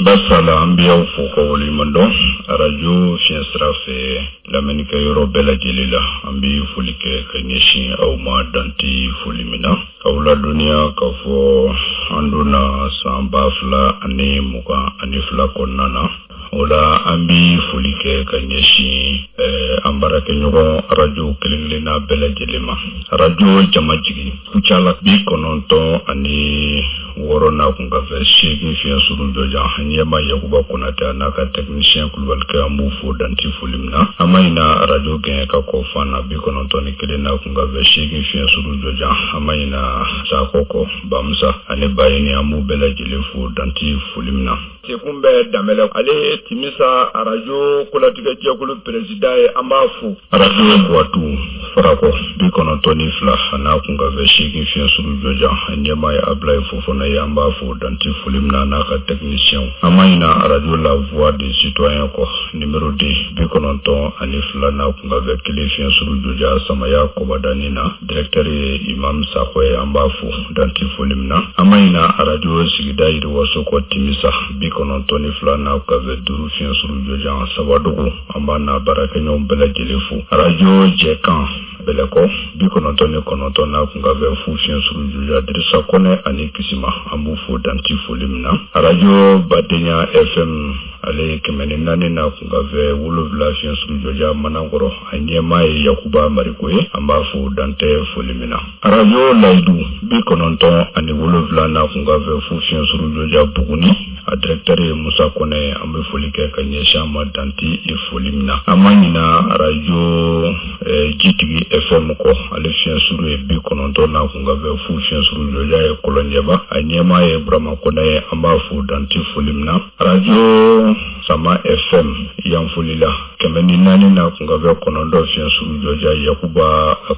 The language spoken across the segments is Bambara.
Basala an bɛ aw fo ka waleɲuman dɔn arajo fiɲɛ sira fɛ lamɛnnikɛ yɔrɔ bɛɛ lajɛlen la. An bɛ foli kɛ ka ɲɛsin aw ma dan tɛ foli min na. K'aw ladɔnniya k'a fɔ an donna san 2022 kɔnɔna na. O la an bɛ foli kɛ ka ɲɛsin an baarakɛɲɔgɔn arajo kelen-kelenna bɛɛ lajɛlen ma. Arajo Jamajigi Kucala 96 n'a kunkanfɛn 8 fiɲɛ suru jɔjan ɲɛma Yakuba Konatɛ a n'a ka technicien Kulubalikɛ an b'u fo dan tɛ foli min na. An ma ɲina arajo Gɛɲɛka kɔ Fana 91 n'a kunkanfɛn 8 fiɲɛ suru jɔjan an ma ɲina Sakɔ kɔ Bamusa ani Bayini an b'u bɛɛ lajɛlen fo dan tɛ foli min na. Sekun bɛ Danbɛlɛ ale ye Timisa arajo kolatigɛjɛkulu peresidan ye, an b'a fo. Arajo Buwatu Farakɔ 92 a n'a kunkanfɛn 8 fiɲɛ suru jɔjan a ɲɛmaa ye Abulayi Fofana ye, an b'a fo dan tɛ foli min na a n'a ka tɛkinisiyɛnw. An ma ɲina arajo La Voix du Citoyen kɔ nimero 2 92 n'a kunkanfɛn 1 fiɲɛ suru jɔjan Samaya Kɔbadani na directeur ye Imam Sakɔ ye, an b'a fo dan tɛ foli min na. An ma ɲina arajo sigida yiriwaso kɔ Timisa 92 n'a kunkanfɛn 5 fiɲɛ suru jɔjan Sabadogo, an b'a n'a baarakɛɲɔgɔn bɛɛ lajɛlen fo. Arajo Jɛkan Bɛlɛkɔ 99 n'a kunkanfɛn 0 fiɲɛ suru jɔjan Dirisa Kɔnɛ ani Kisima, an b'u fo dan tɛ foli min na. Arajo Badenya FM ale ye 104 n'a kunkanfɛn 7 fiɲɛ suru jɔjan Manankɔrɔ, a ɲɛmaa ye Yakuba Mariko ye, an b'a fo dan tɛ foli min na. Arajo Layidu 97 n'a kunkanfɛn 0 fiɲɛ suru jɔjan Buguni, a directeur ye Musa Kɔnɛ ye, an bɛ foli kɛ ka ɲɛsin a ma dan tɛ foli min na. An ma ɲina arajo Jitigi FM kɔ, ale fiɲɛ suru ye 90 n'a kunkanfɛn 0 fiɲɛ suru jɔjan ye Kɔlɔnjɛba, a ɲɛmaa ye Burama Kɔnɛ ye, an b'a fo dan tɛ foli min na. Arajo Sama FM Yanfolila 104 n'a kunkanfɛn 9 fiɲɛ suru jɔjan Yakuba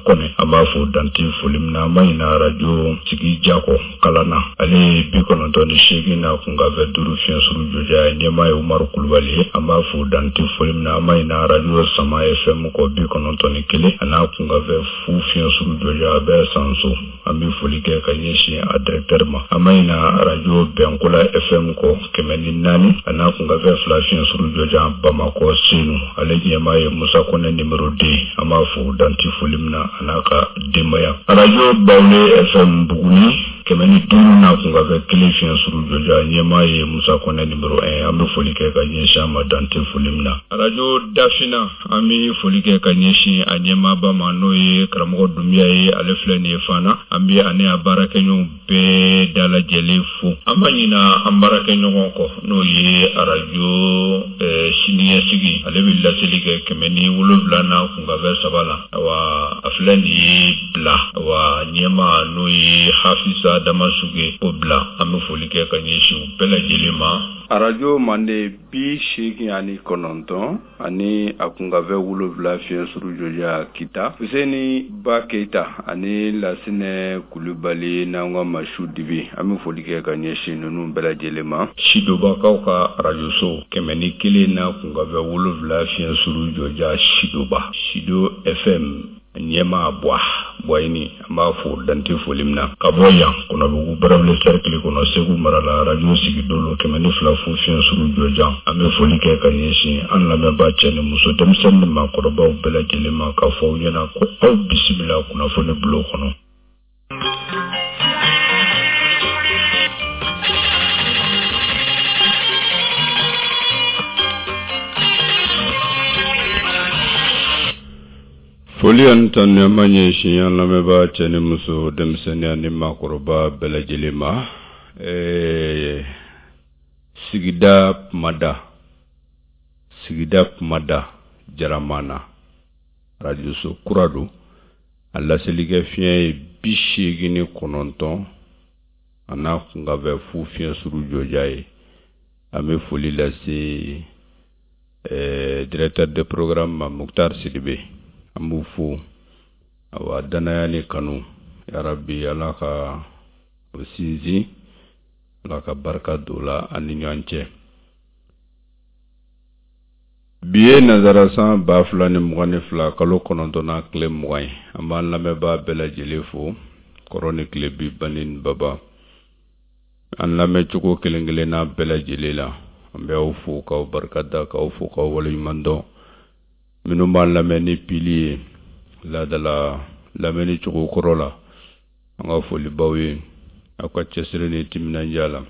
Kɔnɛ, an b'a fo dan tɛ foli min na. An ma ɲina arajo Sigi Jakɔ Kalana, ale ye 98 n'a kunkanfɛn 5 fiɲɛ suru jɔjan ye, ɲɛmaa ye Umaru Kulubali ye, an b'a fo dan tɛ foli min na. An ma ɲina arajo Sama FM kɔ 91 a n'a kunkanfɛn 0 fiɲɛ suru jɔjan a bɛ Sanso, an bɛ foli kɛ ka ɲɛsin a directeur ma. An ma ɲina arajo Bɛnkola FM kɔ 104 a n'a kunkanfɛn 2 fiɲɛ suru jɔjan Bamakɔ Senu, ale ɲɛmaa ye Musa Kɔnɛ numéro 2, an b'a fo dan tɛ foli min na a n'a ka denbaya. Arajo Bawule FM Buguni 105 n'a kunkanfɛn 1 fiɲɛ suru jɔjan ɲɛmaa ye Musa Kɔnɛ numéro 1, an bɛ foli kɛ ka ɲɛsin a ma dan tɛ foli min na. Arajo Dafina, an bɛ foli kɛ ka ɲɛsin a ɲɛmaaba ma n'o ye karamɔgɔ Dunbiya ye, ale filɛ nin ye Fana, an bɛ ani a baarakɛɲɔgɔnw bɛɛ dalajɛlen fo. An ma ɲina an baarakɛɲɔgɔn kɔ n'o ye arajo siniɲɛsigi, ale bɛ laseli kɛ 107 n'a kunkanfɛn 3 la. Awa a filɛ nin ye bila, awa ɲɛmaa n'o ye Hafisa Damasuge o bila, an bɛ foli kɛ ka ɲɛsin u bɛɛ lajɛlen ma. Arajo Mande 89 ani a kunkanfɛn 7 fiɲɛ suru jɔjan Kita, Fuseni Ba Keyita ani Lasinɛ Kulubali n'an ka Masu Dibi, an bɛ foli kɛ ka ɲɛsin ninnu bɛɛ lajɛlen ma. Sidobakaw ka arajoso 101 n'a kunkanfɛn 7 fiɲɛ suru jɔjan Sidoba, Sido FM ɲɛmaa Buwa Buwayini, an b'a fo dan tɛ foli min na. Ka bɔ yan Kɔnɔbugu Barawuli cercle kɔnɔ Segu mara la arajo Sigidolo 102 fu fiɲɛ suru jɔjan, an bɛ foli kɛ ka ɲɛsin an lamɛnbaa cɛ ni muso, denmisɛnnin ni maakɔrɔbaw bɛɛ lajɛlen ma k'a fɔ aw ɲɛna ko aw bisimila kunnafoni bulon kɔnɔ. Foli ani tanuni an b'a ɲɛsin an lamɛnbaa cɛ ni muso, denmisɛnnin ani maakɔrɔba bɛɛ lajɛlen ma. Sigida kumada, sigida kumada Jaramana, arajoso kura don, a laselikɛ fiɲɛ ye 89 a n'a kunkanfɛn 0 fiɲɛ suru jɔjan ye. An bɛ foli lase directeur de programme ma Muktar Sidibe, an b'u fo. Awa danaya ni kanu, yarabi Ala ka o sinsin, Ala ka barika don la an ni ɲɔgɔn cɛ. Bi ye nanzara san 2022 kalo kɔnɔntɔnnan tile 20 ye. An b'an lamɛnbaa bɛɛ lajɛlen fo kɔrɔn ni tilebin, bani ni baba, an lamɛncogo kelen kelenna bɛɛ lajɛlen la. An bɛ aw fo k'aw barika da, k'aw fo k'aw waleɲuman dɔn. Minnu b'an lamɛn ni pili ye laadala lamɛnni cogo kɔrɔ la, an ka foli b'aw ye aw ka cɛsiri ni timinandiya la.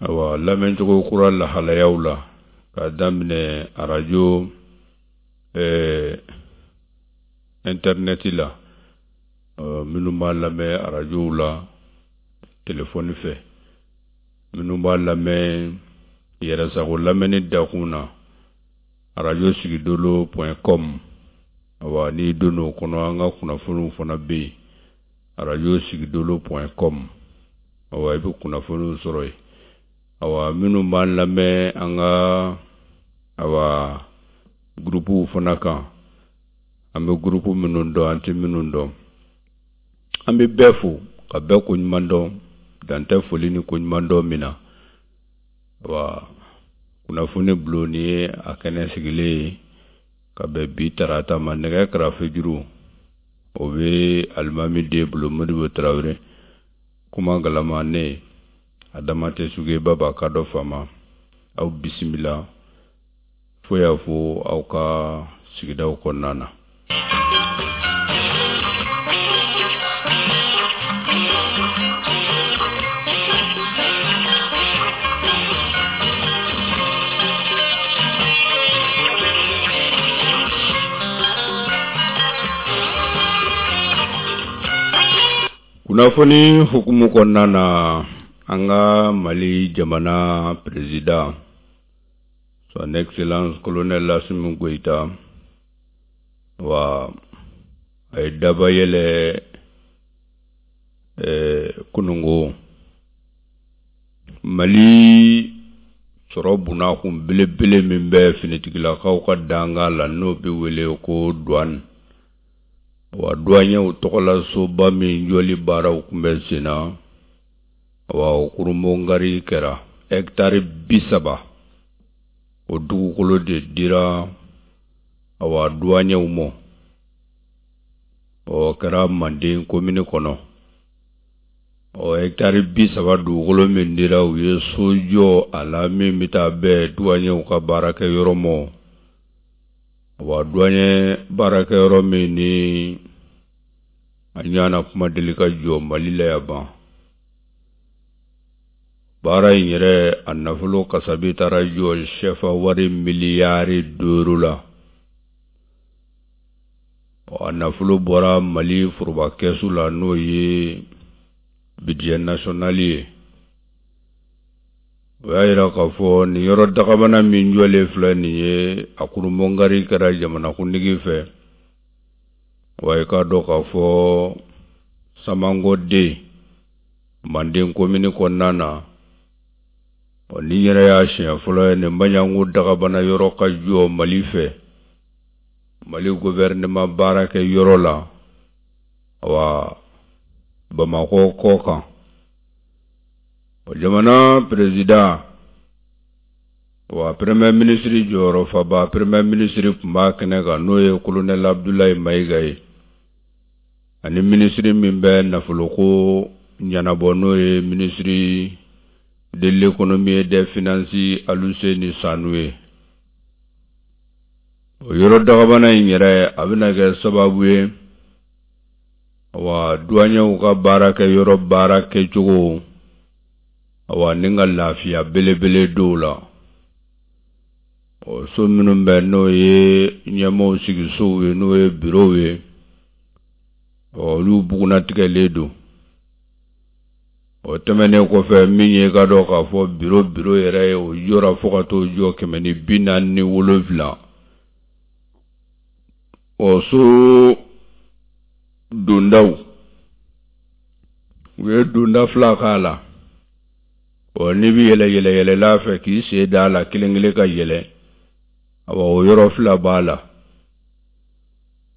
Awa, lamɛncogo kura lahalayaw la, k'a daminɛ arajo intɛrinɛti la, minnu b'a lamɛn arajow la telefɔni fɛ, minnu b'a lamɛn yɛrɛsago lamɛnni dakun na, arajo sigidolo point com. Awa, n'i donn'o kɔnɔ, an ka kunnafoniw fana bɛ yen, arajo sigidolo point com. Awa, i bɛ kunnafoniw sɔrɔ yen. Awa, minnu b'an lamɛn an ka awa gurupuw fana kan, an bɛ gurupu minnu dɔn, an tɛ minnu dɔn, an bɛ bɛɛ fo ka bɛɛ koɲuman dɔn, dan tɛ foli ni koɲuman dɔn min na. Awa, kunnafoni bulon nin ye a kɛnɛ sigilen ye ka bɛn bi tarata ma. Nɛgɛ karafe juru o bɛ alimami den bolo, Modibo Tarawele. Kuma galama ne Adama tɛ suge baba ka dɔ fama. Aw bisimila fo y'a fo aw ka sigidaw kɔnɔna na. Kunnafoni hukumu kɔnɔna na, an ka Mali jamana président, son excellence colonel Assimi Goïta, wa a ye daba yɛlɛ kunungo Mali sɔrɔ bunakun belebele min bɛ finitigilakaw ka dankan la, n'o bɛ wele ko douane. Wa douaniers tɔgɔlasoba min jɔli baaraw tun bɛ sen na, wa o kurunbonkari kɛra. Hɛkitari 30 o dugukolo de dira awa douaniers ma. O kɛra Manden komini kɔnɔ. Ɔ hɛkitari 30 dugukolo min dira, u ye so jɔ a la min bɛ taa bɛn douaniers ka baarakɛyɔrɔ ma. Wa douanier baarakɛyɔrɔ min ni a ɲɔgɔnna kuma deli ka jɔ Mali la yan ban. Baara in yɛrɛ a nafolo kasabi taara jɔ sɛfa wari miliyari 5 la. A nafolo bɔra Mali foroba kɛsu la, n'o ye budget national ye. O y'a yira k'a fɔ nin yɔrɔ dagabana min jɔlen filɛ nin ye, a kurunbonkari kɛra jamanakuntigi fɛ. Wa i k'a dɔn k'a fɔ Samangoden Manden komini kɔnɔna na, ɔ nin yɛrɛ y'a siɲɛ fɔlɔ ye nin Baɲangu dagabana yɔrɔ ka jɔ Mali fɛ, Mali gouvernement baarakɛ yɔrɔ la, awa Bamakɔ kɔ kan. Jamana président wa premier ministre jɔyɔrɔ faba, premier ministre tun b'a kɛnɛ kan, n'o ye colonel Abdoulaye Maïga ye, ani ministre min bɛ nafoloko ɲɛnabɔ, n'o ye ministre de l'économie et des finances Aluseni Sanu ye. O yɔrɔ dagabana in yɛrɛ a bɛna kɛ sababu ye wa douaniers ka baarakɛ yɔrɔ baara kɛcogo, awa ni ka lafiya belebele dɔw la. Ɔ so minnu bɛ, n'o ye ɲɛmaaw sigisow ye, n'o ye bureau ye, ɔ olu bugunnatigɛlen don. O tɛmɛnen kɔfɛ, min ye ka dɔn k'a fɔ bureau yɛrɛ ye, o jɔra fo ka t'o jɔ 147. Ɔ so dondaw, u ye donda fila k'a la. Ɔ n'i bɛ yɛlɛ yɛlɛ yɛlɛla fɛ k'i sen da a la kelen kelen ka yɛlɛ, awa o yɔrɔ fila b'a la.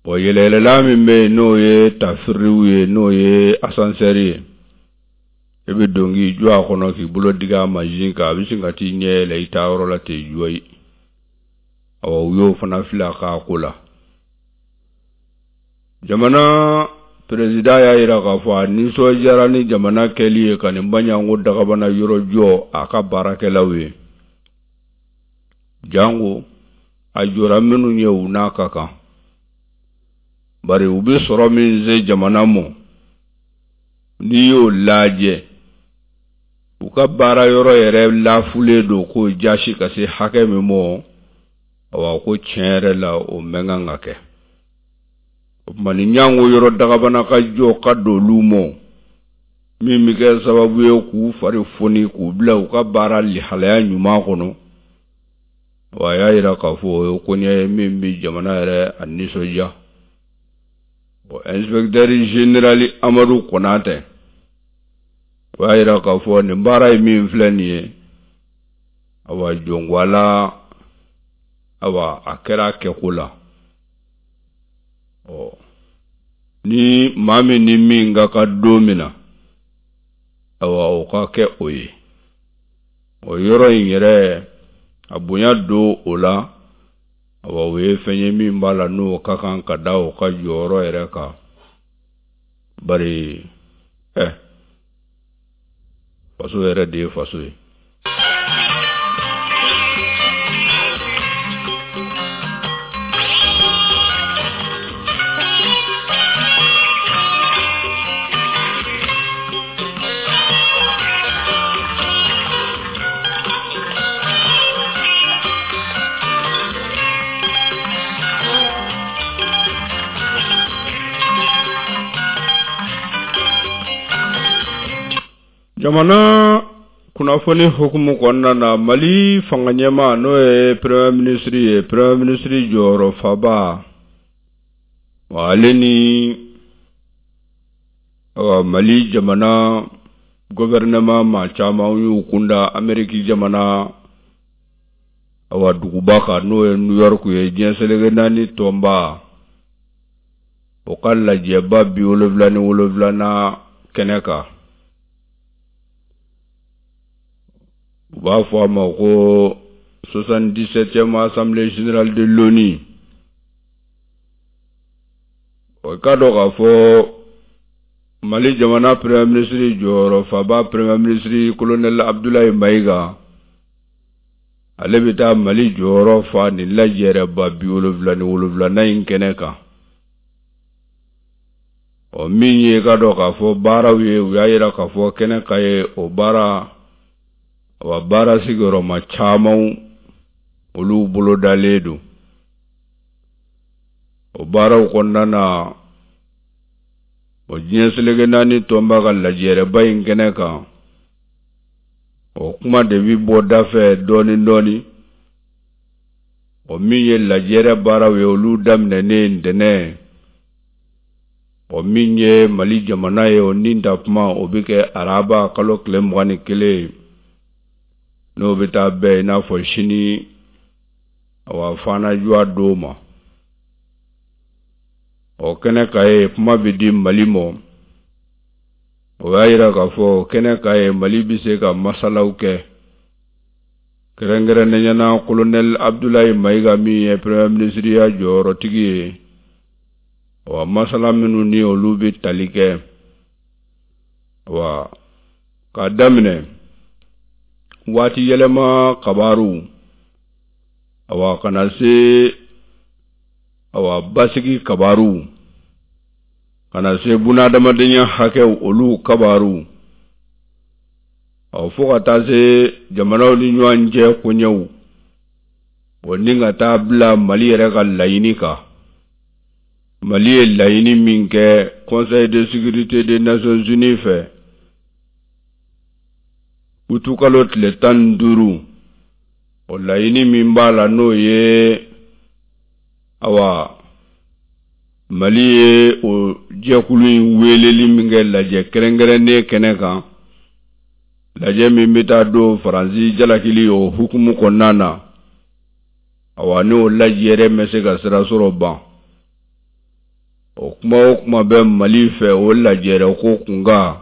Ɔ yɛlɛ yɛlɛla min bɛ yen, n'o ye tafiriw ye, n'o ye ascenseur ye, i bɛ don k'i jɔ a kɔnɔ k'i bolo digi a mansin kan, a bɛ sin ka t'i ɲɛ yɛlɛ i taayɔrɔ la ten jɔyi. Awa, u y'o fana fili a ka ko la. Jamana peresidan y'a jira k'a fɔ a nisɔndiyara ni jamana kɛli ye ka nin Baɲango dagabana yɔrɔ jɔ a ka baarakɛlaw ye, janko a jɔra minnu ye, u n'a ka kan, bari u bɛ sɔrɔ min se jamana mɔ, n'i y'o lajɛ, u ka baara yɔrɔ yɛrɛ lafulen don k'o jasi ka se hakɛ min mɔ. Awa, ko tiɲɛ yɛrɛ la, o mɛn kan ka kɛ. O tuma ni ɲango yɔrɔ dagabana ka jɔ ka don olu mɔ, min bɛ kɛ sababu ye k'u fari foni, k'u bila u ka baara lihalaya ɲuman kɔnɔ, wa a y'a jira k'a fɔ o ye koɲɛ ye min bɛ jamana yɛrɛ a nisɔndiya. Bon, inspecteur général Amadu Konatɛ, o y'a jira k'a fɔ nin baara ye min filɛ nin ye, awa, jɔnkwala, awa, a kɛra a kɛko la. Ɔ, ni maa min ni min ka kan don min na, awa, o ka kɛ o ye. O yɔrɔ in yɛrɛ, a bonya don o la, awa, o ye fɛn ye min b'a la, n'o ka kan ka da o ka jɔyɔrɔ yɛrɛ kan, bari ɛ faso yɛrɛ de ye faso ye. Jamana kunnafoni hukumu kɔnɔna na, Mali fanga ɲɛmaa, n'o ye premier ministre ye, premier ministre jɔyɔrɔ faba, ale ni Mali jamana gouvernement maa caman y'u kunda Ameriki jamana, awa, duguba kan, n'o ye New York ye, diɲɛ seleke naani tɔnba o ka lajɛba 77nan kɛnɛ kan. U b'a fɔ a ma ko 77e assemblée générale de l'ONU. O ka dɔn k'a fɔ Mali jamana premier ministre jɔyɔrɔ faba, premier ministre colonel Abdoulaye Maïga, ale bɛ taa Mali jɔyɔrɔ fa nin lajɛrɛba 77nan in kɛnɛ kan. Ɔ, min ye ka dɔn k'a fɔ baaraw ye, u y'a jira k'a fɔ kɛnɛ ka ye o baara, awa, baara sigiyɔrɔma caman, olu bolodalen don. O baaraw kɔnɔna na, o diɲɛ seleke naani tɔnba ka lajɛrɛba in kɛnɛ kan, o kuma de bɛ bɔ da fɛ dɔɔni dɔɔni. O min ye lajɛrɛ baaraw ye, olu daminɛnen ntɛnɛn. O min ye Mali jamana ye, o nin ta kuma, o bɛ kɛ araba kalo tile 21, n'o bɛ taa bɛn i n'a fɔ sini, awa, fanajuwa don ma. O kɛnɛ ka ye, kuma bɛ di Mali ma. O y'a jira k'a fɔ kɛnɛ ka ye, Mali bɛ se ka masalaw kɛ, kɛrɛnkɛrɛnnenya na colonel Abdoulaye Maïga min ye premier ministre ya jɔyɔrɔtigi ye. Wa masala minnu ni olu bɛ tali kɛ, wa k'a daminɛ waati yɛlɛma kabaru, awa, ka na se, awa, basigi kabaru, ka na se bunadamadenya hakɛw, olu kabaru, ɔ, fo ka taa se jamanaw ni ɲɔgɔn cɛ koɲɛw, o ni ka taa bila Mali yɛrɛ ka laɲini kan, Mali ye laɲini min kɛ Conseil de sécurité des Nations Unies fɛ utukalo tile 15, o laɲini min b'a la, n'o ye, awa, Mali ye o jɛkulu in weleli min kɛ lajɛ kɛrɛnkɛrɛnnen kɛnɛ kan, lajɛ min bɛ taa don Faransi jalakili o hukumu kɔnɔna na, awa, n'o lajɛrɛ ma se ka sira sɔrɔ ban, o kuma o kuma bɛ Mali fɛ o lajɛrɛ ko kunkan.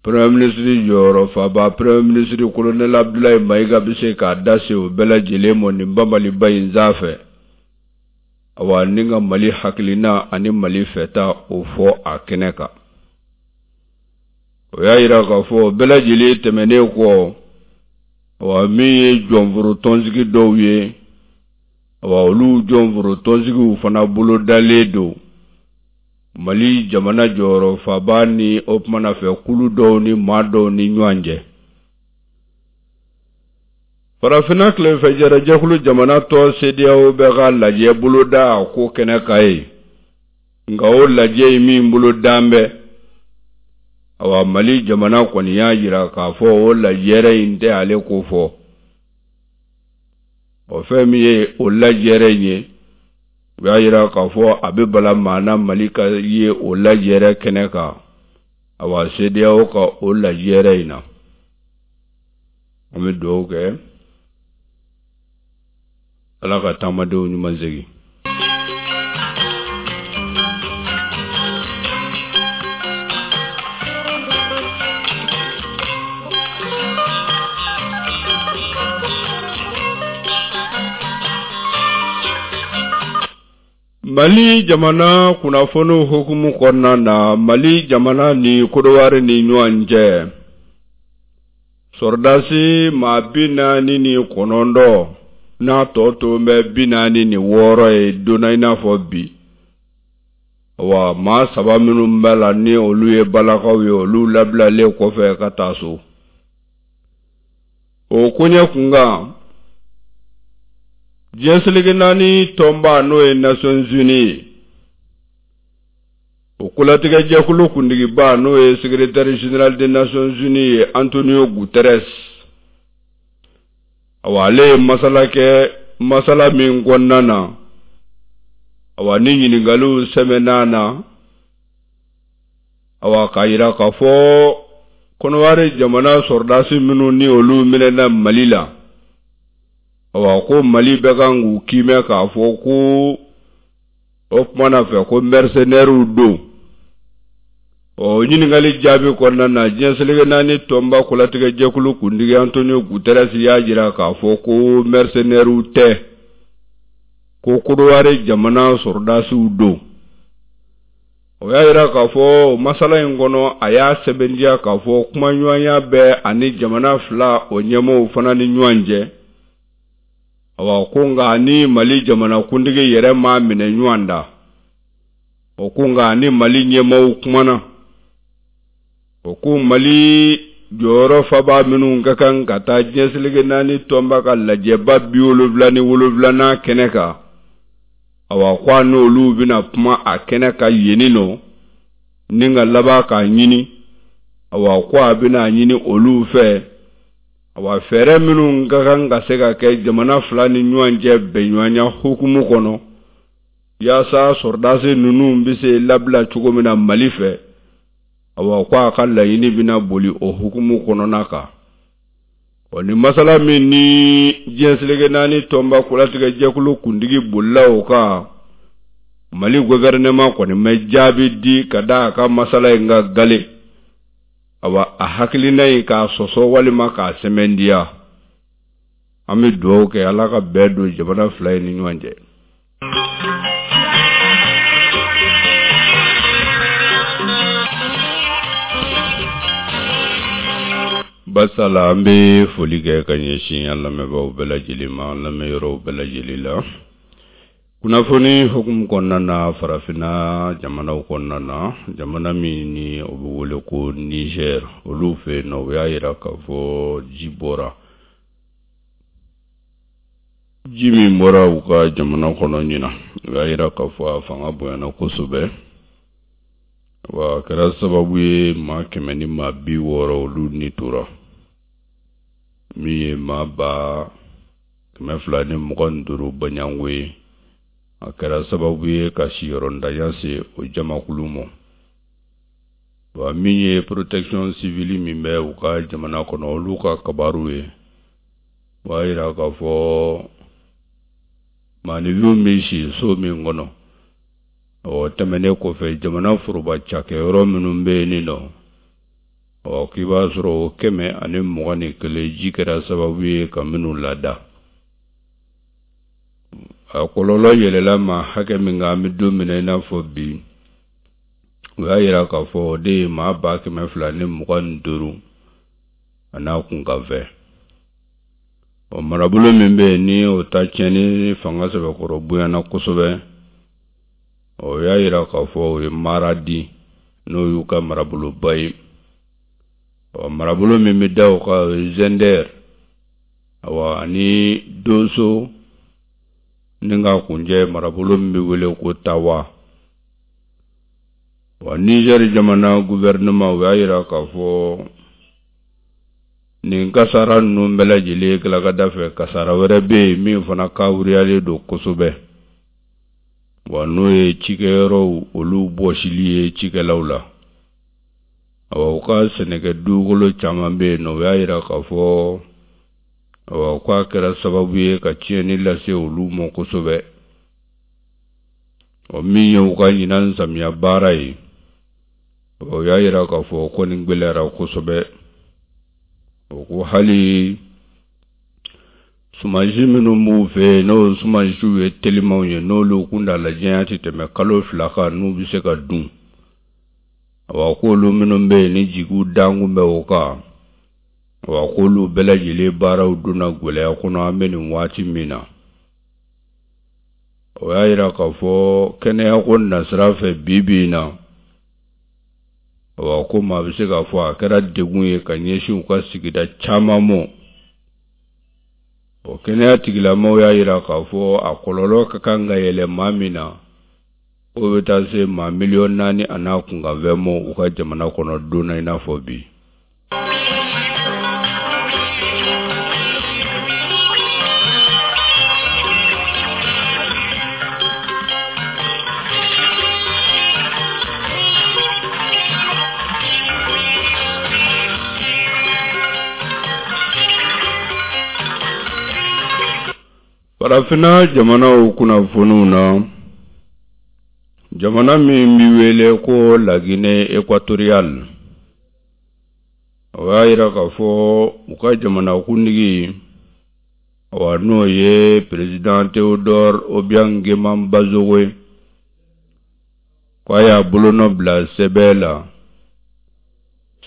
Premier ministre jɔyɔrɔ faba Premier ministre Colonel Abdoulaye Mayiga bɛ se k'a da se o bɛɛ lajɛlen ma nin banbaliba in sanfɛ. Awa ni ka Mali hakilina ani Mali fɛta o fɔ a kɛnɛ kan. O y'a jira k'a fɔ o bɛɛ lajɛlen tɛmɛnen kɔ, awa min ye jɔnforo tɔnsigi dɔw ye, awa olu jɔnforo tɔnsigiw fana bolodalen don. Mali jamana jɔyɔrɔ faba ni o kumana fɛ kulu dɔw ni maa dɔw ni ɲɔgɔn cɛ. Farafinna tilenfɛjɛrɛjɛkulu jamana tɔn CEDEAO bɛ ka lajɛ boloda a ko kɛnɛ kan yen. Nka o lajɛ in min bolodan bɛ, awa Mali jamana kɔni y'a jira k'a fɔ o lajɛrɛ in tɛ ale ko fɔ. O fɛn min ye o lajɛrɛ in ye, u y'a jira k'a fɔ a bɛ bala maa na Mali ka ye o lajɛrɛ kɛnɛ kan, awa CEDEAO ka o lajɛrɛ in na. An bɛ dugawu kɛ Ala ka taamadenw ɲuman segin. Mali jamana kunnafoniw hukumu kɔnɔna na Mali jamana ni Kodowari ni ɲɔgɔn cɛ sɔrɔdasi maa 49 n'a tɔ to bɛ 46 ye donna i n'a fɔ bi wa maa saba minnu b'a la ni olu ye balakaw ye olu labilalen kɔfɛ ka taa so o koɲɛ kunkan diɲɛ seleke naani tɔnba n'o ye Nations Unies ye o kolatigɛjɛkulu kuntigiba n'o ye secrétaire général des Nations Unies ye Antonio Guterres awa ale ye masala kɛ masala min kɔnɔna na awa ni ɲininkaliw sɛmɛn'a na awa k'a jira k'a fɔ kɔnɔwari jamana sɔrɔdasi minnu ni olu minɛna mali la awa ko mali bɛ kan k'u kiimɛ k'a fɔ ko o kuma na fɛ ko mercenaires don ɔ ɲininkali jaabi kɔnɔna na diɲɛ seleke naani tɔnba kolatigɛjɛkulu kuntigi Antonio Guterres y'a jira k'a fɔ ko mercenaires tɛ ko Kodowari jamana sɔrɔdasiw don o y'a jira k'a fɔ masala in kɔnɔ a y'a sɛbɛntiya k'a fɔ kumaɲɔgɔnya bɛ ani jamana fila o ɲɛmɔgɔw fana ni ɲɔgɔn cɛ awa ko nka ni mali jamanakuntigi yɛrɛ m'a minɛ ɲɔgɔn da o ko nka ni mali ɲɛmɔgɔw kumana o ko mali jɔyɔrɔ faba minnu ka kan ka taa diɲɛ seleke naani tɔnba ka lajɛba 77nan kɛnɛ kan awa ko a n'olu bɛna kuma a kɛnɛ kan yenni nɔ ni ka laban k'a ɲini awa ko a bɛna a ɲini olu fɛ awa fɛɛrɛ minnu ka kan ka se ka kɛ jamana fila ni ɲɔgɔn cɛ bɛnɲɔgɔnya hukumu kɔnɔ yaasa sɔrɔdasi ninnu bɛ se labila cogo min na mali fɛ awa ko a ka laɲini bɛna boli o hukumu kɔnɔna kan ɔ nin masala min ni diɲɛ seleke naani tɔnba kolatigɛ jɛkulu kuntigi bolila o kan mali gouvernement kɔni ma jaabi di ka da a ka masala in kan gale awa a hakilina in k'a sɔsɔ walima k'a sɛmɛntiya an bɛ dugawu kɛ ala ka bɛn don jamana fila in ni ɲɔgɔn cɛ Basala an bɛ foli kɛ ka ɲɛsin an lamɛnbaaw bɛɛ lajɛlen ma an lamɛnyɔrɔw bɛɛ lajɛlen la kunnafoni hukumu kɔnɔna na farafinna jamanaw kɔnɔna na jamana min ni o bɛ wele ko Niger olu fɛ yen nɔ u y'a jira k'a fɔ ji bɔra ji min bɔra u ka jamana kɔnɔ ɲinan u y'a jira k'a fɔ a fanga bonyana kosɛbɛ wa a kɛra sababu ye maa 160 olu ni tora min ye maa 225 baɲango ye a kɛra sababu ye ka siyɔrɔntanya se o jamakulu ma wa min ye protection civile min bɛ u ka jamana kɔnɔ olu ka kabaru ye o b'a jira k'a fɔ maaninfinw bɛ si so min kɔnɔ o tɛmɛnen kɔfɛ jamana foroba cakɛyɔrɔ minnu bɛ yen nin nɔ Ɔ k'i b'a sɔrɔ o 121 ji kɛra sababu ye ka minnu lada. A kɔlɔlɔ yɛlɛla maa hakɛ min kan an bɛ don min na i n'a fɔ bi, u y'a yira k'a fɔ o de ye maa 225 a n'a kunkanfɛn. Ɔ marabolo min bɛ yen ni o ta tiɲɛni fanga sɛbɛkɔrɔ bonyana kosɛbɛ, o y'a yira k'a fɔ o ye Maradi n'o y'u ka maraboloba ye. Ɔ marabolo min bɛ da o kan o ye Zɛndɛr, awa ani Doso ni ka kuncɛ marabolo min bɛ wele ko Tawa. Wa Nizɛri jamana gouvernement u y'a yira k'a fɔ nin kasara ninnu bɛɛ lajɛlen tilakada fɛ kasara wɛrɛ bɛ yen min fana kawuriyalen don kosɛbɛ wa n'o ye cikɛyɔrɔw olu bɔsili ye cikɛlaw la awa u ka sɛnɛkɛ dugukolo caman bɛ yen nɔ u y'a yira k'a fɔ awa k'a kɛra sababu ye ka tiɲɛni lase olu ma kosɛbɛ ɔ min ye u ka ɲinan samiya baara ye o y'a yira k'a fɔ ko nin gɛlɛyara kosɛbɛ o ko hali sumansi minnu b'u fɛ yen n'o sumansiw ye telimanw ye n'olu kuntaala janya tɛ tɛmɛ kalo 2 kan n'u bɛ se ka dun awa k'olu minnu bɛ yen ni jigiw dankun bɛ o kan awa k'olu bɛɛ lajɛlen baaraw donna gɛlɛya kɔnɔ an bɛ nin waati min na o y'a yira k'a fɔ kɛnɛyako nasira fɛ bi bi in na awa ko maa bɛ se k'a fɔ a kɛra degun ye ka ɲɛsin u ka sigida caman ma o kɛnɛya tigilamaaw y'a yira k'a fɔ a kɔlɔlɔ ka kan ka yɛlɛ maa min na o bɛ taa se maa 4 miliyɔn a n'a kunkanfɛn ma u ka jamana kɔnɔ don na i n'a fɔ bi. Farafinna jamanaw kunnafoniw na jamana min bɛ wele ko Laginɛ Ekwatoriyali o y'a yira k'a fɔ u ka jamanakuntigi awa n'o ye président Théodore Obiang Nguema Mbasogo ye k'a y'a bolonɔ bila sɛbɛn la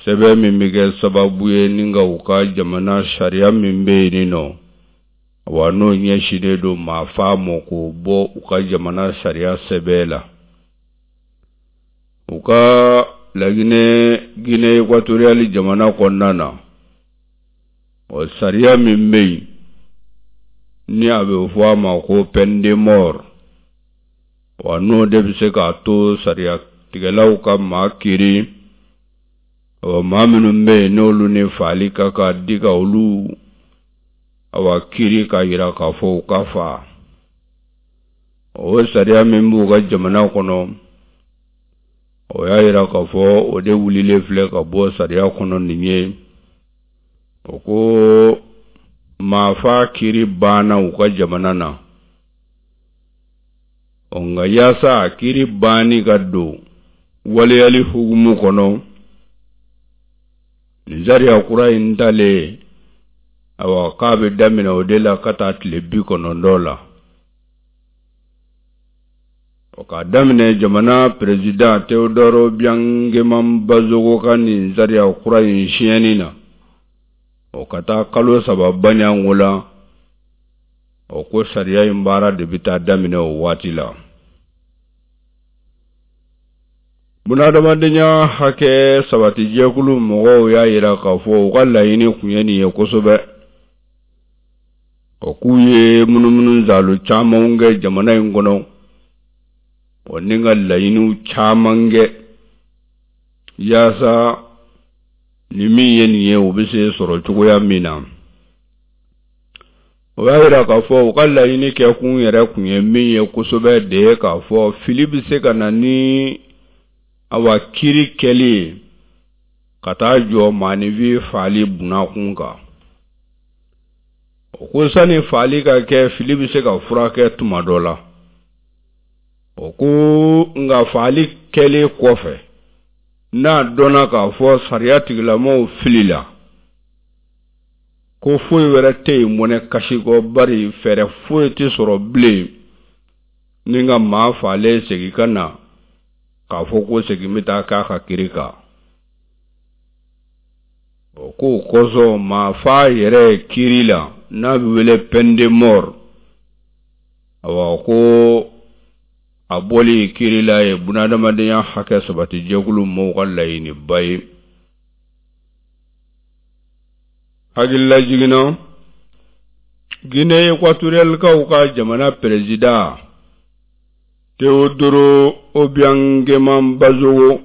sɛbɛn min bɛ kɛ sababu ye ni ka u ka jamana sariya min bɛ yen nɔ wa n'o ɲɛsinnen don maa faa ma k'o bɔ u ka jamana sariya sɛbɛn la u ka laginɛ Guinée Équatoriale jamana kɔnɔna na o sariya min bɛ yen ni a bɛ fɔ a ma ko peine de mort wa n'o de bɛ se k'a to sariya tigɛlaw ka maa kiri ɔ maa minnu bɛ yen n'olu ni faali ka kan di ka olu awa kiri k'a yira k'a fɔ u ka faa o sariya min b'u ka jamana kɔnɔ o y'a yira k'a fɔ o de wulilen filɛ ka bɔ sariya kɔnɔ nin ye o ko maafa kiri banna u ka jamana na ɔ nka yaasa a kiri banni ka don waleyali hukumu kɔnɔ nin sariya kura in talen awa k'a bɛ daminɛ o de la ka taa tile 90 la o k'a daminɛ jamana perezidan Théodore Obiang Nguema Mbasogo ka nin sariya kura in siɲɛni na o ka taa kalo 3 baɲanko la o ko sariya in baara de bɛ taa daminɛ o waati la bunadamadenya hakɛ sabatijɛkulu mɔgɔw y'a yira k'a fɔ u ka laɲini kun ye nin ye kosɛbɛ o k'u ye munumunu zalo camanw kɛ jamana in kɔnɔ o ni ka laɲiniw caman kɛ yaasa ni min ye nin ye o bɛ se sɔrɔ cogoya min na o y'a yira k'a fɔ u ka laɲini kɛkun yɛrɛ kun ye min ye kosɛbɛ de ye k'a fɔ fili bɛ se ka na ni awa kiri kɛli ye ka taa jɔ maaninfin faali bunakun kan o ko sani faali ka kɛ fili bɛ se ka furakɛ tuma dɔ la o ko nka faali kɛlen kɔfɛ. N'a dɔnna k'a fɔ sariya tigilamɔgɔw filila, ko foyi wɛrɛ tɛ yen mɔnɛ kasi kɔ, bari fɛɛrɛ foyi tɛ sɔrɔ bilen ni ka maa faalen segin ka na k'a fɔ ko segin bɛ taa k'a ka kiri kan. O k'o kosɔn maa fa yɛrɛ kiri la n'a bɛ wele peine de mort, awa ko a bɔli kiri la ye bunadamadenya hakɛ sabati jɛkulu mɔgɔw ka laɲiniba ye. Hakililajigin na, Guinée équatorialekaw ka jamana peresidan Teodoro Obiang Nguema Mbasogo,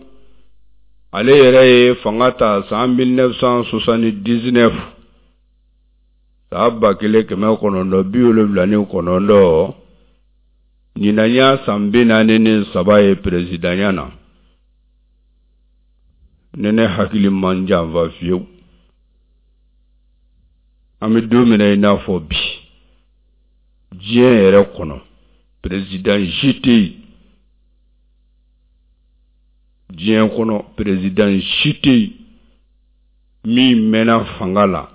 ale yɛrɛ ye fanga ta san 1979, san 1979. Ɲinan y'a san 43 ye peresidanya na. Ni ne hakili ma n janfa fiyewu, an bɛ don min na i n'a fɔ bi, diɲɛ yɛrɛ kɔnɔ peresidan si tɛ yen, diɲɛ kɔnɔ peresidan si tɛ yen min mɛnna fanga la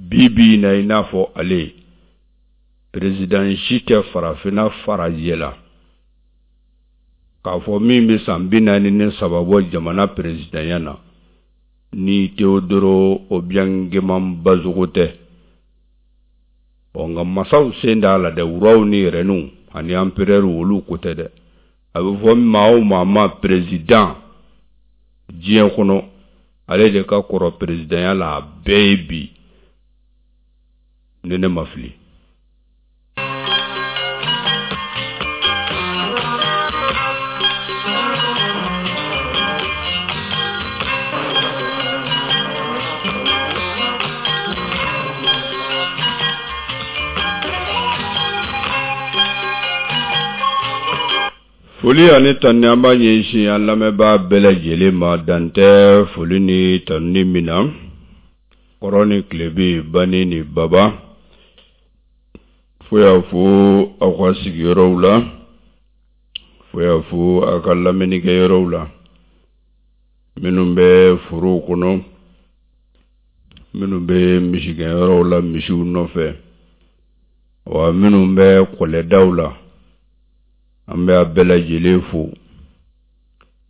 bi bi in na i n'a fɔ ale. Peresidan si tɛ farafinna farajɛ la k'a fɔ min bɛ san 43 bɔ jamana peresidanya na ni Teodoro Obiang Nguema Mbasogo tɛ. Ɔ nka masaw sen t'a la dɛ, roi ni reines ani empereur olu ko tɛ dɛ. A bɛ fɔ maa o maa ma peresidan diɲɛ kɔnɔ, ale de ka kɔrɔ peresidanya la a bɛɛ ye bi, ni ne ma fili. Foli ani tanuni an b'a ɲɛsin an lamɛnbaa bɛɛ lajɛlen ma, dan tɛ foli ni tanuni min na. Kɔrɔn ni tilebin, bani ni baba, fo y'a fo aw ka sigiyɔrɔw la, fo y'a fo aw ka lamɛnnikɛyɔrɔw la, minnu bɛ forow kɔnɔ, minnu bɛ misigɛnyɔrɔw la misiw nɔfɛ, wa minnu bɛ kɔlɛdaw la, an bɛ a bɛɛ lajɛlen fo.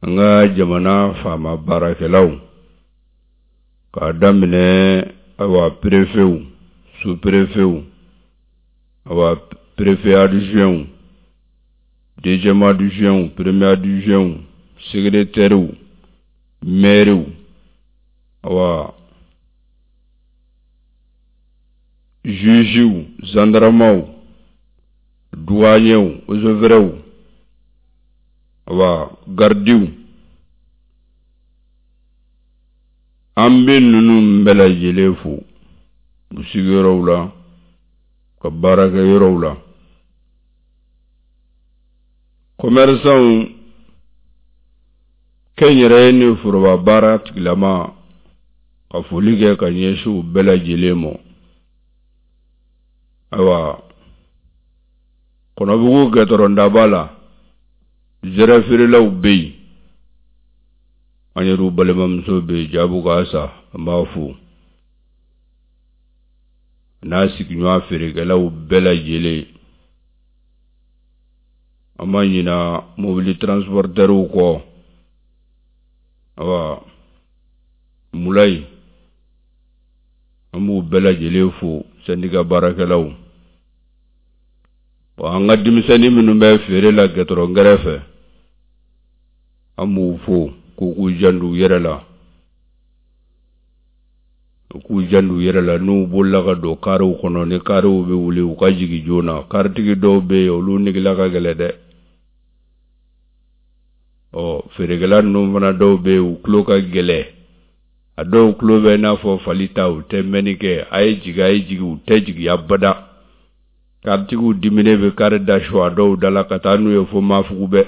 An ka jamana faama baarakɛlaw, k'a daminɛ awa perefew, sous-perefew, awa préfet adjointw, deuxième adjointw, premier adjointw, secrétairew, mairew, awa jugew, gendarmew, douaniers, eaux et forêts, awa gardiw, an bɛ ninnu bɛɛ lajɛlen fo u sigiyɔrɔw la, ka baarakɛyɔrɔw la. Commerçants, kɛnyɛrɛye ni foroba baara tigilama, ka foli kɛ ka ɲɛsin u bɛɛ lajɛlen ma. Ayiwa, Kɔnɔbugu gɛtɔrɔndaba la, zɛrɛ feerelaw bɛ yen. An yɛrɛw balimamuso bɛ yen, Jabu ka sa, an b'a fo n'a sigiɲɔgɔn feerekɛlaw bɛɛ lajɛlen. An ma ɲina mobili transportɛriw kɔ, awa Mulayi, an b'u bɛɛ lajɛlen fo, sɛndika baarakɛlaw. An ka denmisɛnnin minnu bɛ feere la gɛtɔrɔn kɛrɛfɛ, an b'u fo k'u k'u janto u yɛrɛ la, u k'u janto u yɛrɛ la. N'u bolila ka don kariw kɔnɔ, ni kariw bɛ wuli, u ka jigin joona. Karitigi dɔw bɛ yen, olu negela ka gɛlɛn dɛ. Ɔ feerekɛla ninnu fana dɔw bɛ yen, u tulo ka gɛlɛn. A dɔw tulo bɛ i n'a fɔ fali ta, u tɛ mɛnni kɛ. A ye jigin, a ye jigin, u tɛ jigin abada. Karitigiw diminen bɛ kari da su a dɔw da la ka taa n'u ye fo Mafugu bɛɛ.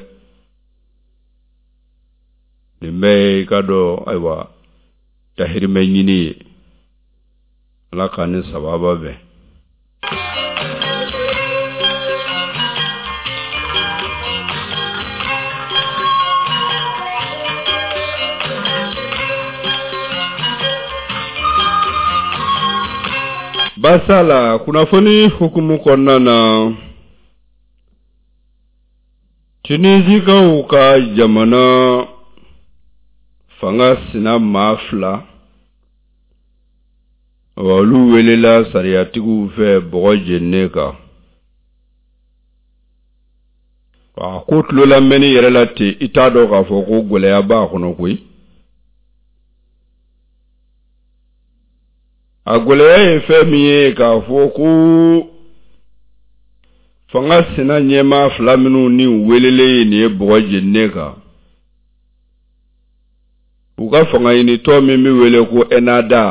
Nin bɛɛ ye i ka dɔn, ayiwa, dahirimɛ ɲini ye. Ala k'an ni sababa bɛn. Baasi la kunnafoni hukumu kɔnɔna na Tunisikaw ka jamana fanga sina maa fila olu welela sariyatigiw fɛ bɔgɔ jeninen kan a ko tulo lamɛnni yɛrɛ la ten i t'a dɔn k'a fɔ ko gɛlɛya b'a kɔnɔ koyi a gɛlɛya ye fɛn min ye k'a fɔ ko fanga sina ɲɛmaa fila minnu ni welelen ye nin ye bɔgɔ jeninen kan u ka fanga ɲinitɔn min bɛ wele ko Ennahda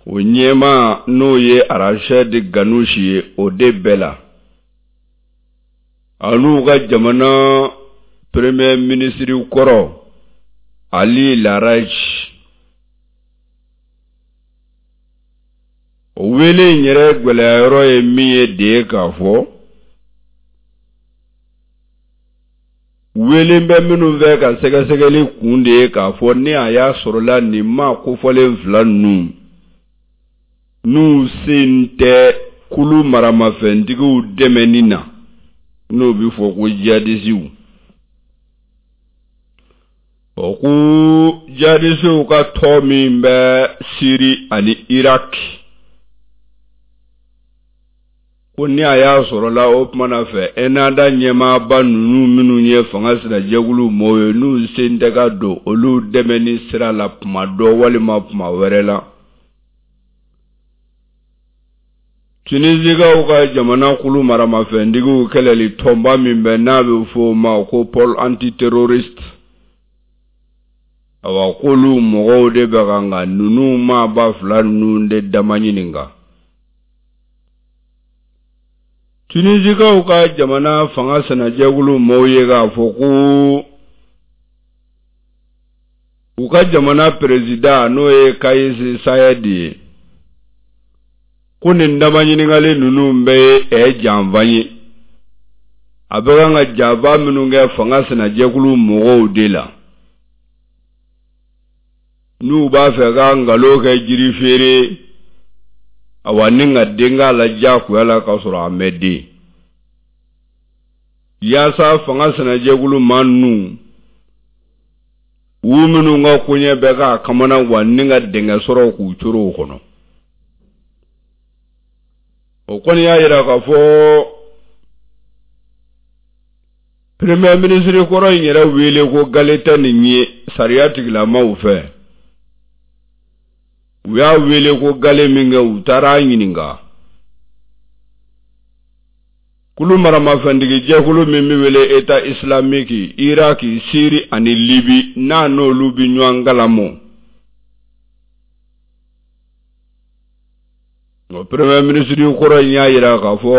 o ɲɛmaa n'o ye Rachid Ghannouchi ye o de bɛɛ la an'u ka jamana premier ministre kɔrɔ Ali Laaraj o wele in yɛrɛ gɛlɛya yɔrɔ ye min ye de ye k'a fɔ welen bɛ minnu fɛ ka sɛgɛsɛgɛli kun de ye k'a fɔ ni a y'a sɔrɔla nin maa kofɔlen fila ninnu n'u sen tɛ kulu maramafɛntigiw dɛmɛni na n'o bɛ fɔ ko jihadisiw o ko jihadisiw ka tɔn min bɛ Siri ani Irak ko ni a y'a sɔrɔla o tuma na fɛ Ennahda ɲɛmaaba ninnu minnu ye fanga sinajɛkulu mɔɔw ye n'u sen tɛ ka don olu dɛmɛni sira la tuma dɔ walima tuma wɛrɛ la Tunisikaw ka jamana kulu maramafɛntigiw kɛlɛli tɔnba min bɛ n'a bɛ fɔ o ma ko pôle antiterroriste awa k'olu mɔgɔw de bɛ kan ka ninnu maaba fila ninnu de dama ɲininka Tunisikaw ka jamana fanga sinajɛkulu mɔɔw ye k'a fɔ ko u ka jamana perezidan n'o ye Kayisi Sayɛdi ye ko nin dama ɲininkali ninnu bɛɛ ye ɛ janfa ye a bɛ kan ka janfa minnu kɛ fanga sinajɛkulu mɔgɔw de la n'u b'a fɛ ka nkalon kɛ jiri feere awa ni ka den k'a la diyagoya la k'a sɔrɔ a mɛ den yaasa fanga sinajɛkulu maa ninnu u minnu ka koɲɛ bɛ k'a kamana gan ni ka dingɛ sɔrɔ k'u coro o kɔnɔ o kɔni y'a yira k'a fɔ premier ministre kɔrɔ in yɛrɛ wele ko gale tɛ nin ye sariya tigilamaw fɛ u y'a wele ko gale min kɛ u taara a ɲininka Kulu maramafɛntigi jɛkulu min bɛ wele État islamique Iraki Siri ani Libi n'a n'olu bɛ ɲɔgɔn kalama o premier ministre kɔrɔ in y'a jira k'a fɔ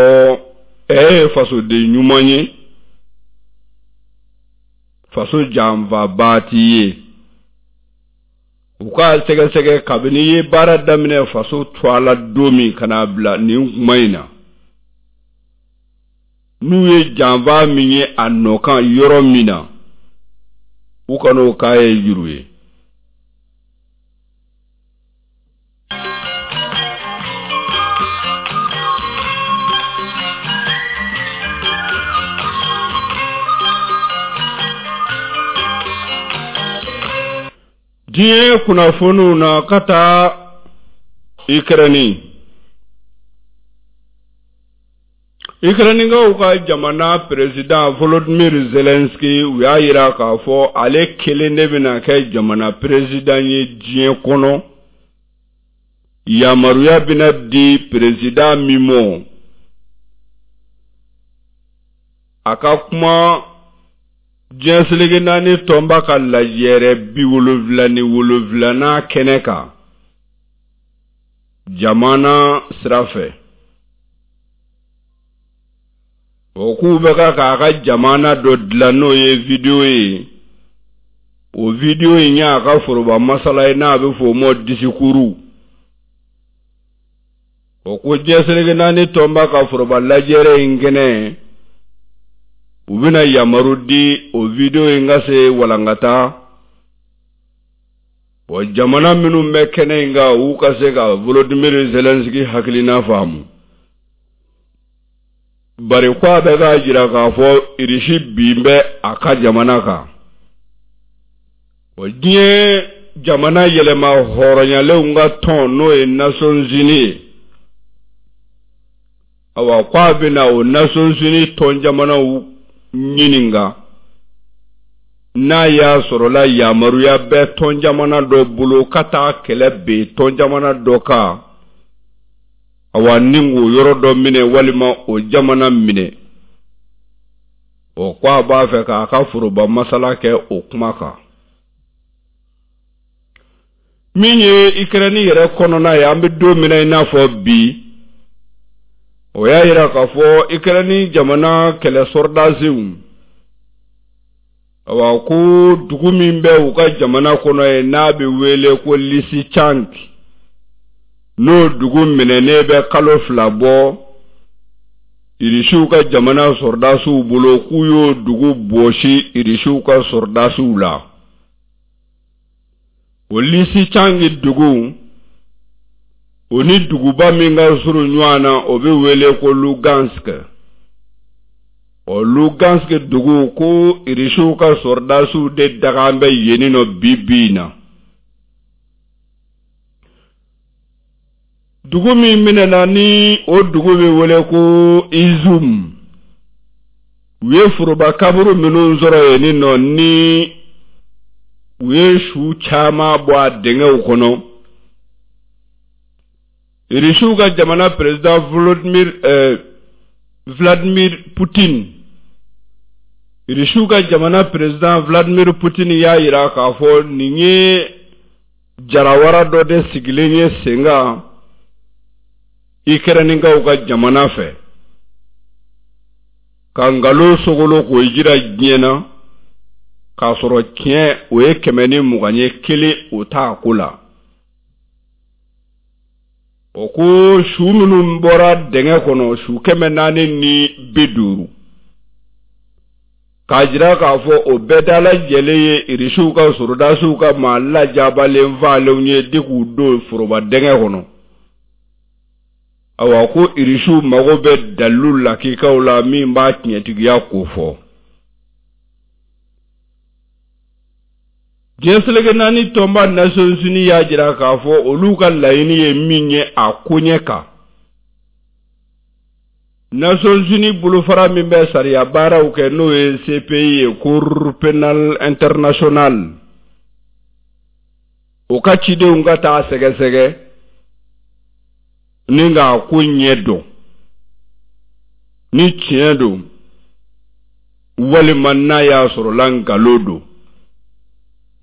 ɛ ye fasoden ɲuman ye faso janfabaa t'i ye u k'a sɛgɛsɛgɛ kabini i ye baara daminɛ faso tɔgɔ la don min ka n'a bila nin kuma in na n'u ye janfa min ye a nɔ kan yɔrɔ min na u kan'o k'a ye juru ye diɲɛ kunnafoniw na ka taa Ikɛrɛni Ikɛrɛnikaw ka jamana peresidan Volodymyr Zelensky u y'a jira k'a fɔ ale kelen de bɛna kɛ jamana peresidan ye diɲɛ kɔnɔ yamaruya bɛna di peresidan min ma a ka kuma diɲɛ seleke naani tɔnba ka lajɛrɛ 77nan kɛnɛ kan jamana sira fɛ o k'u bɛ ka k'a ka jamana dɔ dilan n'o ye video ye o video in y'a ka foroba masala ye n'a bɛ fɔ o ma disikuru o ko diɲɛ seleke naani tɔnba ka foroba lajɛrɛ in kɛnɛ u bɛna yamaru di o video in ka se walankata. Bon jamana minnu bɛ kɛnɛ in kan u ka se ka Volodymyr Zelensky hakilina faamu bari ko a bɛ k'a jira k'a fɔ Irisi bin bɛ a ka jamana kan o diɲɛ jamana yɛlɛma hɔrɔnyalenw ka tɔn n'o ye Nations Unies ye awa ko a bɛna o Nations Unies tɔn jamanaw ɲininka n'a y'a sɔrɔla yamaruya bɛ tɔn jamana dɔ bolo ka taa kɛlɛ ben tɔn jamana dɔ kan awa ni k'o yɔrɔ dɔ minɛ walima o jamana minɛ o ko a b'a fɛ k'a ka foroba masala kɛ o kuma kan min ye Ikɛrɛni yɛrɛ kɔnɔna ye an bɛ don min na i n'a fɔ bi o y'a yira k'a fɔ Ikɛrɛni jamana kɛlɛ sɔrɔdasiw awa ko dugu min bɛ u ka jamana kɔnɔ yen n'a bɛ wele ko Lisichansk n'o dugu minɛnen bɛ kalo fila bɔ Irisiw ka jamana sɔrɔdasiw bolo k'u y'o dugu bɔsi Irisiw ka sɔrɔdasiw la. O Lisichansk dugu o ni duguba min ka surun ɲɔgɔn na o bɛ wele ko Lugansk o Lugansk dugu ko Irisiw ka sɔrɔdasiw de dagan bɛ yen nɔ bi bi in na dugu min minɛna ni o dugu bɛ wele ko Izum u ye foroba kaburu minnu sɔrɔ yen nɔ ni u ye su caman bɔ a dingɛw kɔnɔ Irisiw ka jamana président Volodymyr eh, Vladimir Putin Irisiw ka jamana président Vladimir Putin y'a jira k'a fɔ nin ye jarawara dɔ de sigilen ye sen kan Ikɛrɛnikaw ka jamana fɛ ka nkalon sogolo k'o jira diɲɛ na k'a sɔrɔ tiɲɛ o ye 120 ye kelen o t'a ko la o ko su minnu bɔra dingɛ kɔnɔ su 450 k'a jira k'a fɔ o bɛɛ dalajɛlen ye irisiw ka sɔrɔdasiw ka maa lajabalen faalenw ye de k'u don foroba dingɛ kɔnɔ awa ko irisiw mago bɛ dalilu lakikaw la min b'a tiɲɛtigiya kofɔ diɲɛ seleke naani tɔnba Nations Unies y'a jira k'a fɔ olu ka laɲini ye min ye a koɲɛ kan Nations Unies bolofara min bɛ sariya baaraw kɛ n'o ye CPI ye Cour pénale internationale o ka cidenw ka taa sɛgɛsɛgɛ ni k'a ko ɲɛ dɔn ni tiɲɛ don walima n'a y'a sɔrɔla nkalon don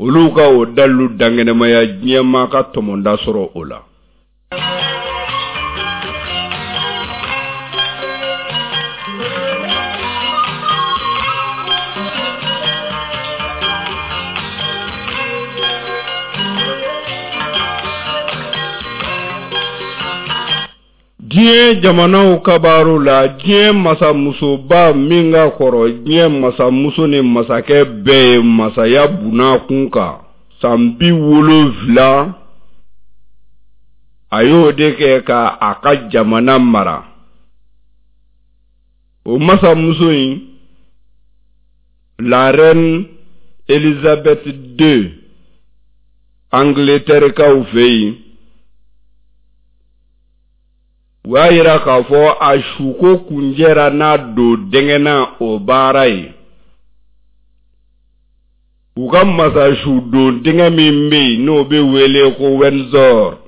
olu ka o dalilu dankɛnɛmaya diɲɛmaa ka tɔmɔda sɔrɔ o la Diɲɛ jamanaw kabaaru la diɲɛ masamusoba min ka kɔrɔ diɲɛ masamuso ni masakɛ bɛɛ ye masaya bunakun kan san 70 a y'o de kɛ ka a ka jamana mara o masamuso in la reine Elizabeth II Angleterrekaw fɛ yen u y'a yira k'a fɔ a suko kuncɛra n'a don dɛngɛ na o baara ye u ka masasu don dingɛ min bɛ yen n'o bɛ wele ko Windsor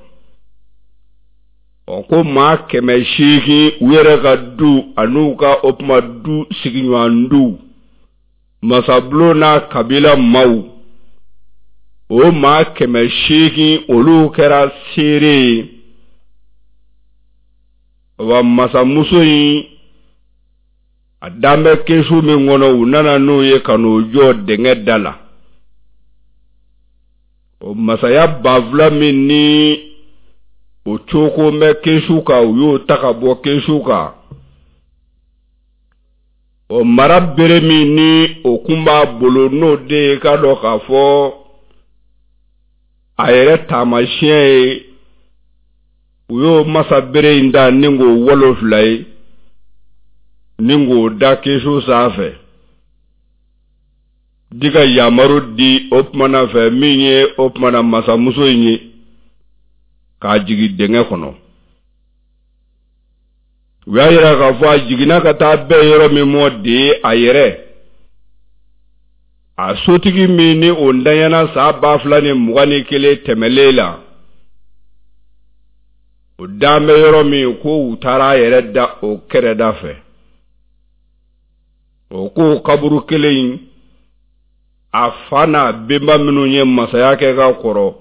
ɔ ko maa 800 u yɛrɛ ka du an'u ka o tuma du sigiɲɔgɔn du masabulon n'a kabila maaw o maa 800 olu kɛra seere ye wa masamuso in a dan bɛ kɛsu min kɔnɔ u nana n'o ye ka n'o jɔ dingɛ da la o masaya banfula min ni o coko bɛ kɛsu kan u y'o ta ka bɔ kɛsu kan o mara bere min ni o kun b'a bolo n'o de ye k'a dɔn k'a fɔ A yɛrɛ taamasiyɛn ye, u y'o masa bere in da ni k'o walo fila ye ni k'o da kɛsu sanfɛ di ka yamaru di o tumana fɛ min ye o tumana masamuso in ye k'a jigin dingɛ kɔnɔ. U y'a yira k'a fɔ a jiginna ka taa bɛn yɔrɔ min mɔ de ye a yɛrɛ a sotigi min ni o ntanyana san 2021 tɛmɛlen la, o dan bɛ yɔrɔ min ko u taara a yɛrɛ da o kɛrɛda fɛ. O ko kaburu kelen in, a fa n'a benba minnu ye masaya kɛ ka kɔrɔ,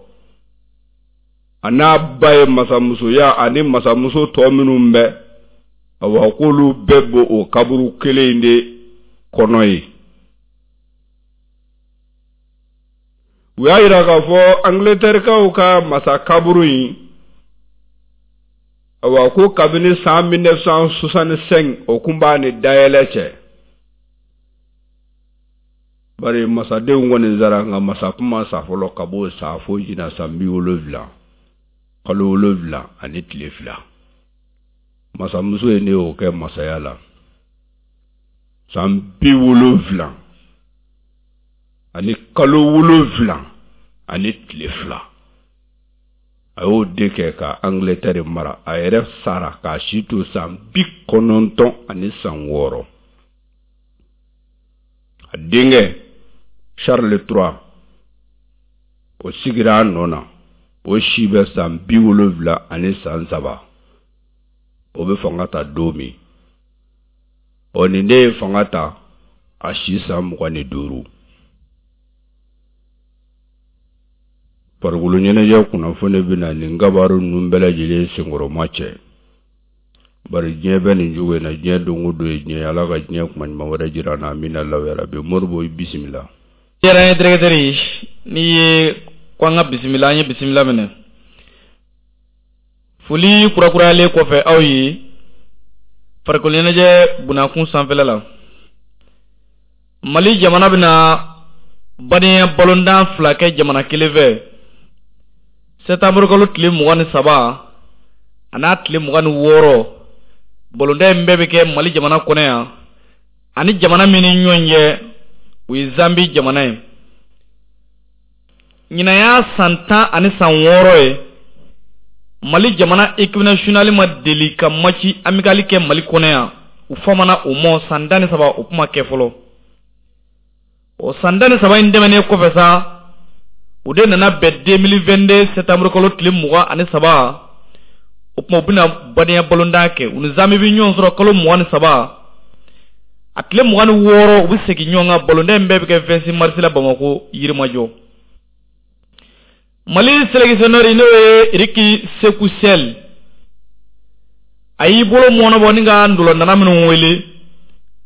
a n'a ba ye masamusoya ani masamuso tɔ minnu bɛ, awa k'olu bɛɛ b'o o kaburu kelen in de kɔnɔ yen. U y'a yira k'a fɔ Angleterrekaw ka masa kaburu in, awa ko kabini san 1965 o kun b'a ni dayɛlɛ cɛ. Bari masadenw kɔni sara, nka masa kun ma sa fɔlɔ ka b'o sa fo ɲinan san 70 kalo 7 ani tile 2. Masamuso ye ne y'o kɛ masaya la san 70 ani kalo 7 ani tile 2. A y'o de kɛ ka Angleterre mara. A yɛrɛ sara k'a si to san 96. A denkɛ Charles III, o sigira a nɔ na, o si bɛ san 73. O bɛ fanga ta don min, ɔ nin de ye fanga ta a si san 25. Farikolo ɲɛnajɛ kunnafoni bɛ na nin kibaru ninnu bɛɛ lajɛlen senkɔrɔma cɛ. Bari diɲɛ bɛ nin cogo in na, diɲɛ don o don ye diɲɛ ye. Ala ka diɲɛ kuma ɲuman wɛrɛ jira an na. Amina yarabi. Moribo, i bisimila. Diyara n ye, directeur. N'i ye ko an ka bisimila, an ye bisimila minɛ. Foli kurakurayalen kɔfɛ aw ye farikolo ɲɛnajɛ bunakun sanfɛla la, Mali jamana bɛna badenya balontan fila kɛ jamana kelen fɛ sɛtanburukalo tile 23 a n'a tile 26. Balontan in bɛɛ bɛ kɛ Mali jamana kɔnɔ yan. Ani jamana min ni ɲɔgɔn cɛ, o ye Zambi jamana ye. Ɲinan y'a san 16 ye, Mali jamana équipe nationale ma deli ka match amical kɛ Mali kɔnɔ yan. U famana o ma san 13, o kuma kɛ fɔlɔ. O san 13 in tɛmɛnen kɔfɛ sa, o de nana bɛn 2022 septembre kalo tile 23. O tuma u bɛna badenya balontan kɛ, u ni Zambi bɛ ɲɔgɔn sɔrɔ kalo 23, a tile 26 u bɛ segin ɲɔgɔn kan. Balontan in bɛɛ bɛ kɛ 26 mars la Bamakɔ, Yirimajɔ. Mali sélectionneur, n'o ye Eric Sekou Chelle, a y'i bolo mɔnɔbɔ ni ka ndolantanna minnu wele,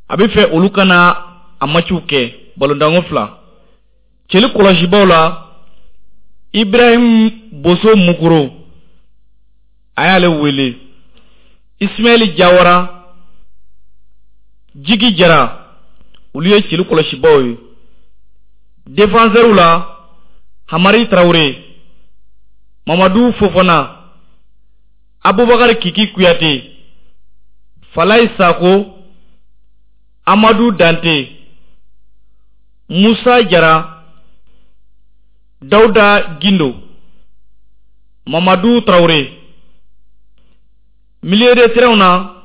a bɛ fɛ olu ka na a matchiw kɛ balontanko fila. Cɛli kɔlɔsibaw la, Ibrahim Boso Mukuro, a y'ale wele, Ismaël Jawara, Jigi Jara, olu ye cɛli kɔlɔsibaw ye. Défenseur la, Hamari Traoré, Mamadou Fofana, Abubakar Kiki Kuyate, Falaye Sako, Amadou Dante, Musa Jara, Dauda Gindo, Mamadou Traoré. Milieu de terrain na,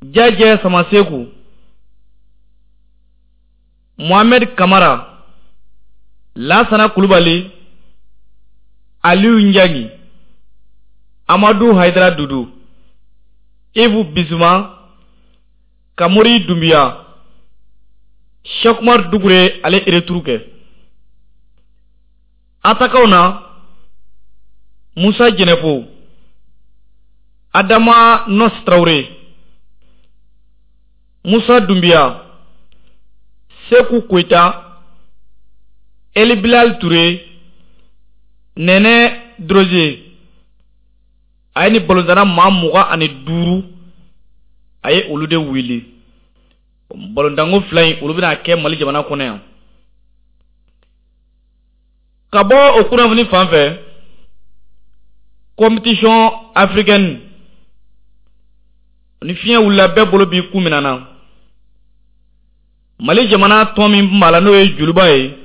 Jajɛ Samaseku, Mohamed Kamara, Lasana Kulubali, Aliou Ndiangi, Amadou Haidara Dudu, Yves Bissouma, Kamori Doumbia, Cheikh Oumar Doucouré, ale retour kɛ. Attaquant na, Musa Jɛnɛfo, Adama Nos Traoré, Musa Doumbia, Sekou Koita, Eli Bilal Touré, Nɛnɛ Droze. A ye ni balontanna maa 25, a ye olu de wele. Balontanko fila in, olu bɛna kɛ Mali jamana kɔnɔ yan. Ka bɔ o kunnafoni fan fɛ, compétition africaine ni fiɲɛ wulila bɛɛ bolo b'i kun minɛ na. Mali jamana tɔn min b'a la n'o ye Joliba ye,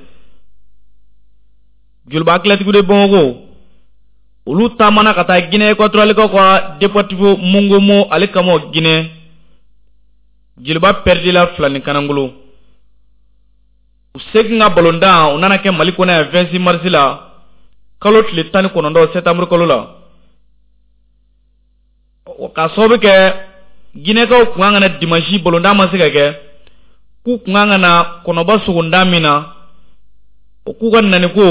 Joliba Athlétique de Bamako, olu taamana ka taa Guinée équatoriale ka Deportivo Mongomo ale kama Guinée. Joliba perdila 2 ni kanangolo. U segin ka balontan u nana kɛ Mali kɔnɔ yan 26 mars la, kalo tile 19 septembre kalo la. Ka sababu kɛ Guinéekaw kun kan ka na dimanche balontan ma se ka kɛ, k'u kun kan ka na kɔnɔba sogondan min na, o k'u ka naniko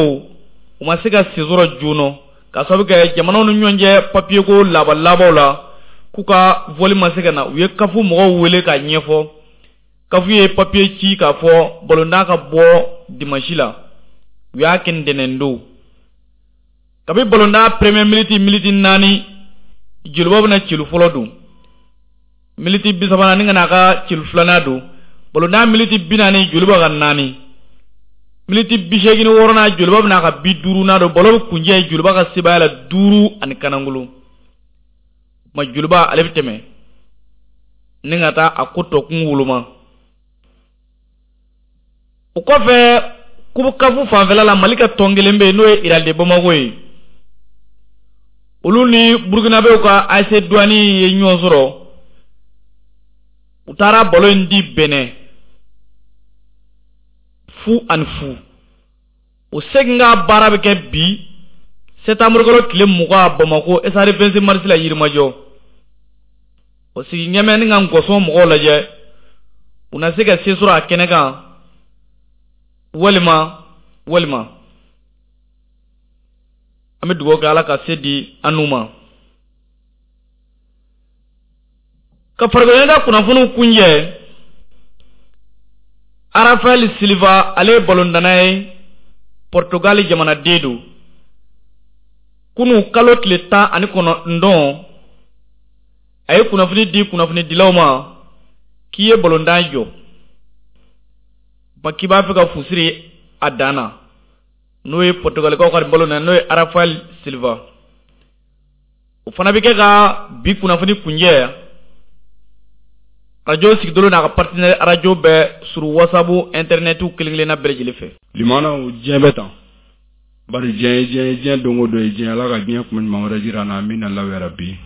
u ma se ka sen sɔrɔ joona, ka sababu kɛ jamanaw ni ɲɔgɔn cɛ papier ko laban labanw la, k'u ka vol ma se ka na. U ye CAF mɔgɔw wele k'a ɲɛfɔ. CAF ye papier ci k'a fɔ balontan ka bɔ dimanche la, u y'a kɛ ntɛnɛn don. Kabi balontan premier minute 4, Joliba bɛna celu fɔlɔ don, minute 30 ni ka n'a ka celu filanan don. Balontan minute 40, Joliba ka 4, minute 86 Joliba bɛna a ka 50nan don. Ballon bɛ kuncɛ Joliba ka sebaaya la 5 ani kanangolo. Ma Joliba ale bɛ tɛmɛ ni ka taa a ko tɔ kun woloma. O kɔfɛ Coupe CAF fanfɛla la, Mali ka tɔn kelen bɛ yen n'o ye Real de Bamako ye. Olu ni Burkinabɛw ka AS Douane ye ɲɔgɔn sɔrɔ. U taara ballon in di Benin 0-0. O segin ka baara bɛ kɛ bi septembre kalo tile 20 Bamako stade 26 mars la Yirimajɔ. O sigi ɲɛmɛ ni ka ngɔsɔn mɔgɔw lajɛ, u na se ka se sɔrɔ a kɛnɛ kan walima an bɛ dugawu kɛ Ala ka se di an n'u ma. Ka farikoloɲɛnajɛ kunnafoniw kunjɛ, Rafael Silva ale ye balontanna ye, Portugal jamanaden don. Kunu kalo tile 19, a ye kunnafoni di kunnafonidilaw ma k'i ye balontan jɔ, ba k'i b'a fɛ ka fusiri a dan na, n'o ye Portugalikaw ka balon na, n'o ye Rafael Silva. O fana bɛ kɛ ka bi kunnafoni kunjɛ. Radio Sigidolo n'a ka partenaire radio bɛɛ sur WhatsApp, internet kelen kelenna bɛɛ lajɛlen fɛ. Limanaw diɲɛ bɛ tan, bari diɲɛ ye diɲɛ ye, diɲɛ don o don ye diɲɛ. Ala ka diɲɛ kuma ɲuman wɛrɛ jira an na, amina Alahu yarabi.